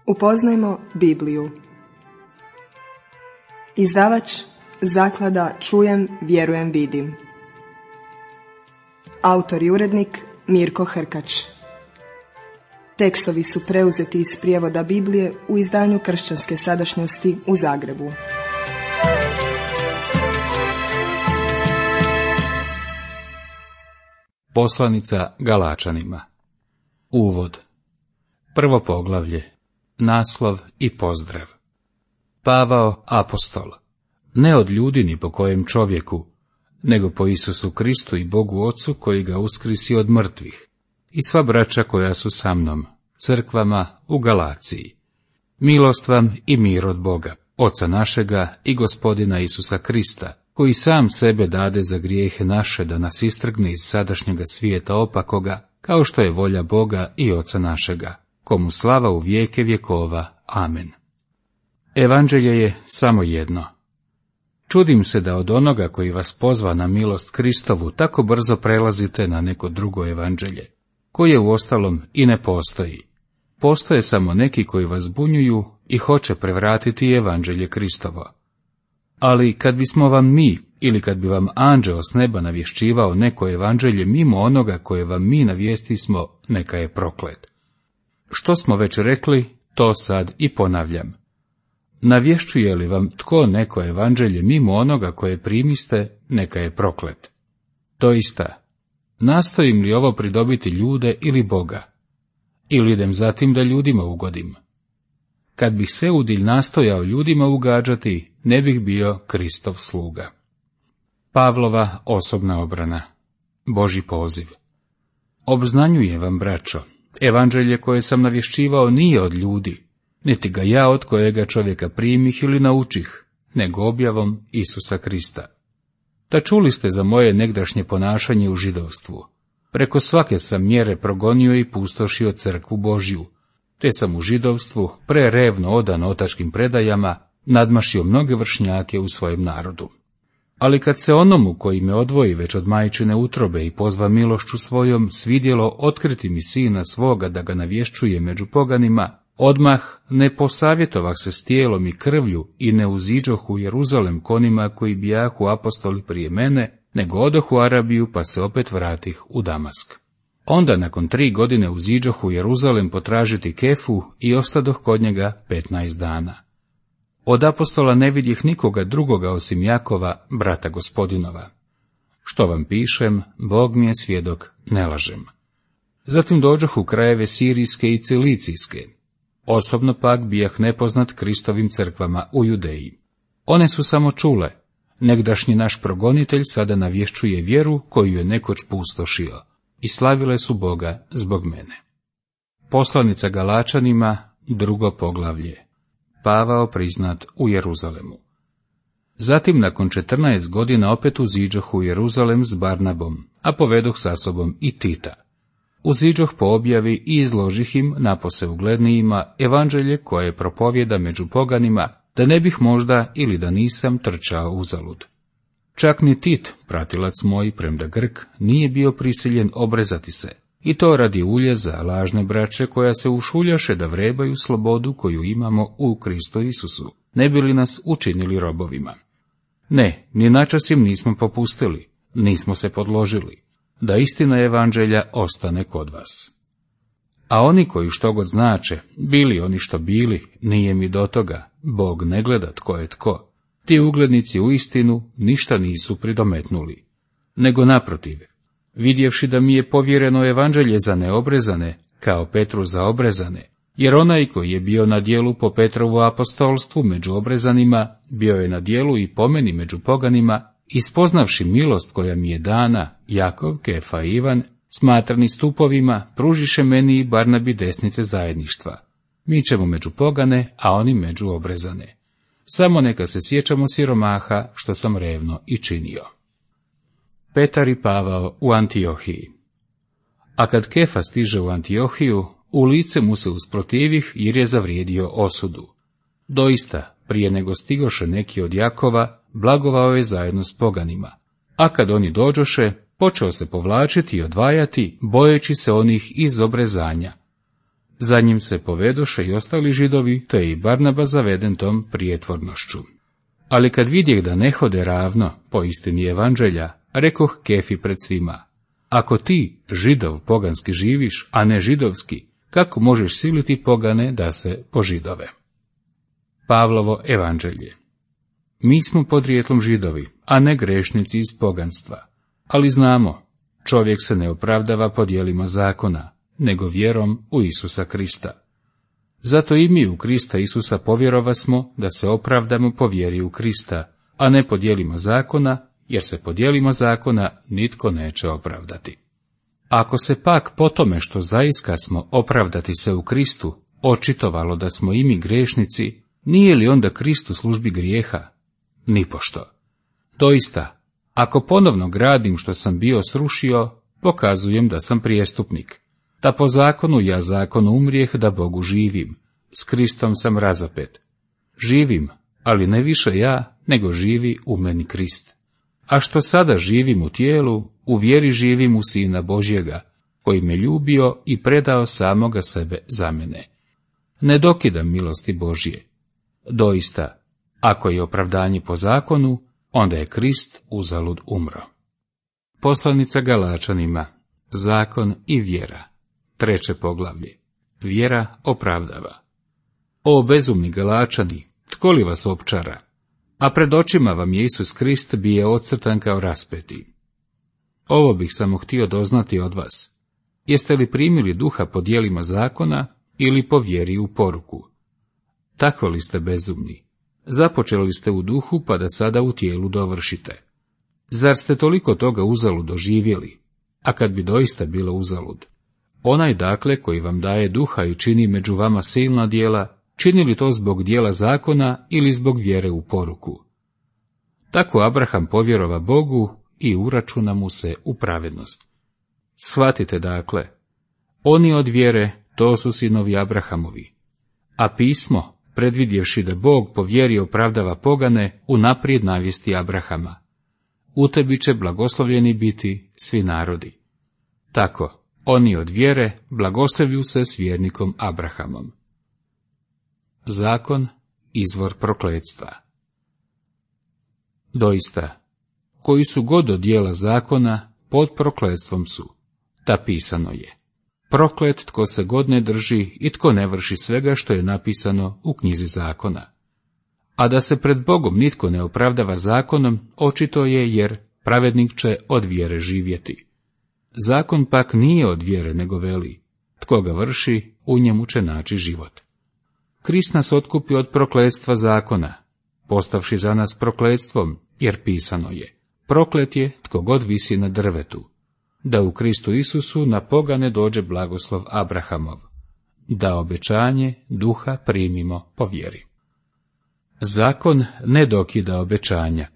Upoznajmo Bibliju. Izdavač Zaklada Čujem, vjerujem, vidim. Autor i urednik Mirko Hrkač. Tekstovi su preuzeti iz prijevoda Biblije u izdanju Kršćanske sadašnjosti u Zagrebu. Poslanica Galačanima. Uvod. Prvo poglavlje. Naslov i pozdrav. Pavao, apostol. Ne od ljudi ni po kojem čovjeku, nego po Isusu Kristu i Bogu Ocu koji ga uskrisi od mrtvih, i sva braća koja su sa mnom, crkvama u Galaciji. Milost vam i mir od Boga, Oca našega i Gospodina Isusa Krista, koji sam sebe dade za grijehe naše da nas istrgne iz sadašnjega svijeta opakoga, kao što je volja Boga i Oca našega, komu slava u vijeke vjekova. Amen. Evanđelje je samo jedno. Čudim se da od onoga koji vas pozva na milost Kristovu tako brzo prelazite na neko drugo evanđelje, koje uostalom i ne postoji. Postoje samo neki koji vas zbunjuju i hoće prevratiti evanđelje Kristovo. Ali kad bismo vam mi, ili kad bi vam anđeo s neba navješćivao neko evanđelje mimo onoga koje vam mi navijestismo, neka je proklet. Što smo već rekli, to sad i ponavljam. Navješćuje li vam tko neko evanđelje mimo onoga koje primiste, neka je proklet. Doista, nastojim li ovo pridobiti ljude ili Boga? Ili idem zatim da ljudima ugodim? Kad bih sve udilj nastojao ljudima ugađati, ne bih bio Kristov sluga. Pavlova osobna obrana. Božji poziv. Obznanjujem vam, braćo, evanđelje koje sam navješćivao nije od ljudi, niti ga ja od kojega čovjeka primih ili naučih, nego objavom Isusa Krista. Ta čuli ste za moje negdašnje ponašanje u židovstvu. Preko svake sam mjere progonio i pustošio crkvu Božju, te sam u židovstvu, prerevno odan otačkim predajama, nadmašio mnoge vršnjake u svojem narodu. Ali kad se onomu koji me odvoji već od majčine utrobe i pozva milošću svojom svidjelo otkriti mi sina svoga da ga navješćuje među poganima, odmah ne posavjetovah se s tijelom i krvlju i ne uziđoh u Jeruzalem konima koji bijahu apostoli prije mene, nego odoh u Arabiju pa se opet vratih u Damask. Onda nakon 3 godine uziđoh u Jeruzalem potražiti Kefu i ostadoh kod njega 15 dana. Od apostola ne vidjeh nikoga drugoga osim Jakova, brata Gospodinova. Što vam pišem, Bog mi je svjedok, ne lažem. Zatim dođoh u krajeve Sirijske i Cilicijske. Osobno pak bijah nepoznat Kristovim crkvama u Judeji. One su samo čule, negdašnji naš progonitelj sada navješćuje vjeru koju je nekoć pustošio, i slavile su Boga zbog mene. Poslanica Galačanima, 2. poglavlje. Pavao priznat u Jeruzalemu. Zatim nakon 14 godina opet uziđoh u Jeruzalem s Barnabom, a povedoh sa sobom i Tita. Uziđoh po objavi i izložih im napose uglednijima evanđelje koje propovjeda među poganima, da ne bih možda ili da nisam trčao uzalud. Čak ni Tit, pratilac moj, premda Grk, nije bio prisiljen obrezati se, i to radi uljeza lažne braće koja se ušuljaše da vrebaju slobodu koju imamo u Kristu Isusu, ne bi li nas učinili robovima. Ne, ni načas im nismo popustili, nismo se podložili, da istina evanđelja ostane kod vas. A oni koji što god znače, bili oni što bili, nije mi do toga, Bog ne gleda tko je tko. Ti uglednici u istinu ništa nisu pridometnuli, nego naprotiv, vidjevši da mi je povjereno evanđelje za neobrezane, kao Petru za obrezane, jer onaj koji je bio na djelu po Petrovu apostolstvu među obrezanima, bio je na djelu i po meni među poganima, i spoznavši milost koja mi je dana, Jakov, Kefa i Ivan, smatrani stupovima, pružiše meni i Barnabi desnice zajedništva. Mi ćemo među pogane, a oni među obrezane. Samo neka se sjećamo siromaha, što sam revno i činio. Petar i Pavao u Antiohiji. A kad Kefa stiže u Antiohiju, u lice mu se usprotivih jer je zavrijedio osudu. Doista, prije nego stigoše neki od Jakova, blagovao je zajedno s poganima. A kad oni dođoše, počeo se povlačiti i odvajati, bojeći se onih iz obrezanja. Za njim se povedoše i ostali Židovi, te je i Barnaba zaveden tom prijetvornošću. Ali kad vidjeh da ne hode ravno po istini evanđelja, rekoh Kefi pred svima: ako ti, Židov, poganski živiš, a ne židovski, kako možeš siliti pogane da se požidove? Pavlovo evanđelje. Mi smo podrijetlom Židovi, a ne grešnici iz poganstva. Ali znamo, čovjek se ne opravdava po djelima zakona, nego vjerom u Isusa Krista. Zato i mi u Krista Isusa povjerovasmo da se opravdamo po vjeri u Krista, a ne po djelima zakona, jer se po djelima zakona nitko neće opravdati. Ako se pak po tome što zaiska smo opravdati se u Kristu, očitovalo da smo i mi grešnici, nije li onda Krist u službi grijeha? Nipošto. Doista, ako ponovno gradim što sam bio srušio, pokazujem da sam prijestupnik. Da po zakonu ja zakonu umrijeh da Bogu živim, s Kristom sam razapet. Živim, ali ne više ja, nego živi u meni Krist. A što sada živim u tijelu, u vjeri živim u Sina Božjega, koji me ljubio i predao samoga sebe za mene. Ne dokidam milosti Božje. Doista, ako je opravdanje po zakonu, onda je Krist uzalud umro. Poslanica Galačanima, zakon i vjera. 3. poglavlje. Vjera opravdava. O bezumni Galačani, tko li vas opčara? A pred očima vam je Isus Krist bije ocrtan kao raspeti. Ovo bih samo htio doznati od vas. Jeste li primili duha po djelima zakona ili po vjeri u poruku? Tako li ste bezumni? Započeli ste u duhu, pa da sada u tijelu dovršite. Zar ste toliko toga uzalud doživjeli? A kad bi doista bilo uzalud? Onaj dakle koji vam daje duha i čini među vama silna djela, čini li to zbog djela zakona ili zbog vjere u poruku? Tako Abraham povjerova Bogu i uračuna mu se u pravednost. Shvatite dakle, oni od vjere, to su sinovi Abrahamovi. A pismo, predvidjevši da Bog po vjeri opravdava pogane, unaprijed navijesti Abrahama: u tebi će blagoslovljeni biti svi narodi. Tako, oni od vjere blagoslovlju se s vjernikom Abrahamom. Zakon, izvor prokletstva. Doista, koji su god od djela zakona, pod prokletstvom su. Da pisano je: proklet tko se god ne drži i tko ne vrši svega što je napisano u knjizi zakona. A da se pred Bogom nitko ne opravdava zakonom, očito je, jer pravednik će od vjere živjeti. Zakon pak nije od vjere, nego veli: tko ga vrši, u njemu će naći život. Krist nas otkupi od prokletstva zakona, postavši za nas prokletstvom, jer pisano je: proklet je tko god visi na drvetu. Da u Kristu Isusu na pogane dođe blagoslov Abrahamov, da obećanje duha primimo po vjeri. Zakon ne dokida obećanja.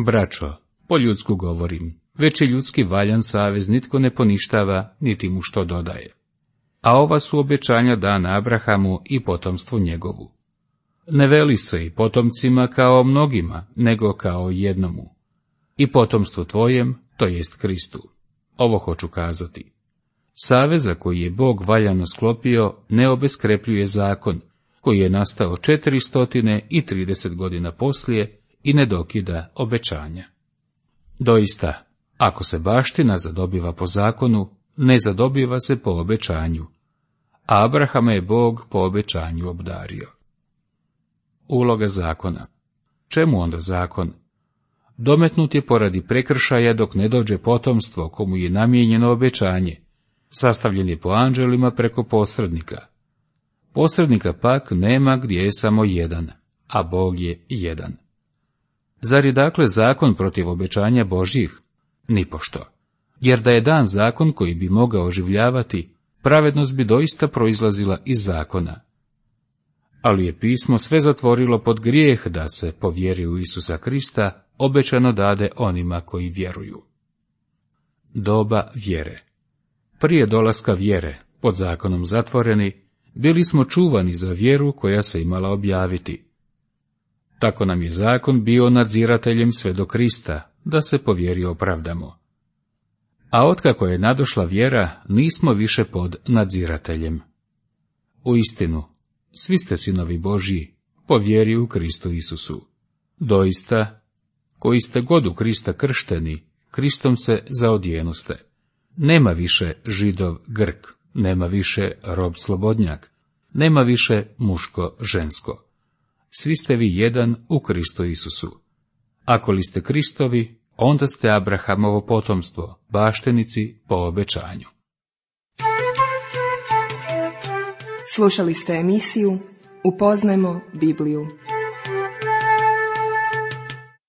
Braćo, po ljudsku govorim, već je ljudski valjan savez nitko ne poništava, niti mu što dodaje. A ova su obećanja dana Abrahamu i potomstvu njegovu. Ne veli se i potomcima kao mnogima, nego kao jednomu. I potomstvu tvojem, to jest Kristu. Ovo hoću kazati. Saveza koji je Bog valjano sklopio ne obeskrepljuje zakon, koji je nastao 430 godina poslije i ne dokida obećanja. Doista, ako se baština zadobiva po zakonu, ne zadobiva se po obećanju. A Abrahama je Bog po obećanju obdario. Uloga zakona. Čemu onda zakon? Dometnut je poradi prekršaja dok ne dođe potomstvo komu je namijenjeno obećanje. Sastavljen je po anđelima preko posrednika. Posrednika pak nema gdje je samo jedan, a Bog je jedan. Zar je dakle zakon protiv obećanja Božjih? Nipošto. Jer da je dan zakon koji bi mogao oživljavati, pravednost bi doista proizlazila iz zakona. Ali je pismo sve zatvorilo pod grijeh da se, po vjeri u Isusa Krista, obećano dade onima koji vjeruju. Doba vjere. Prije dolaska vjere, pod zakonom zatvoreni, bili smo čuvani za vjeru koja se imala objaviti. Tako nam je zakon bio nadzirateljem sve do Krista, da se po vjeri opravdamo. A otkako je nadošla vjera, nismo više pod nadzirateljem. Uistinu, svi ste sinovi Božji po vjeri u Kristu Isusu. Doista, koji ste god u Krista kršteni, Kristom se zaodjenuste. Nema više Židov Grk, nema više rob slobodnjak, nema više muško žensko. Svi ste vi jedan u Kristu Isusu. Ako li ste Kristovi, onda ste Abrahamovo potomstvo, baštenici po obećanju. Slušali ste emisiju Upoznajmo Bibliju.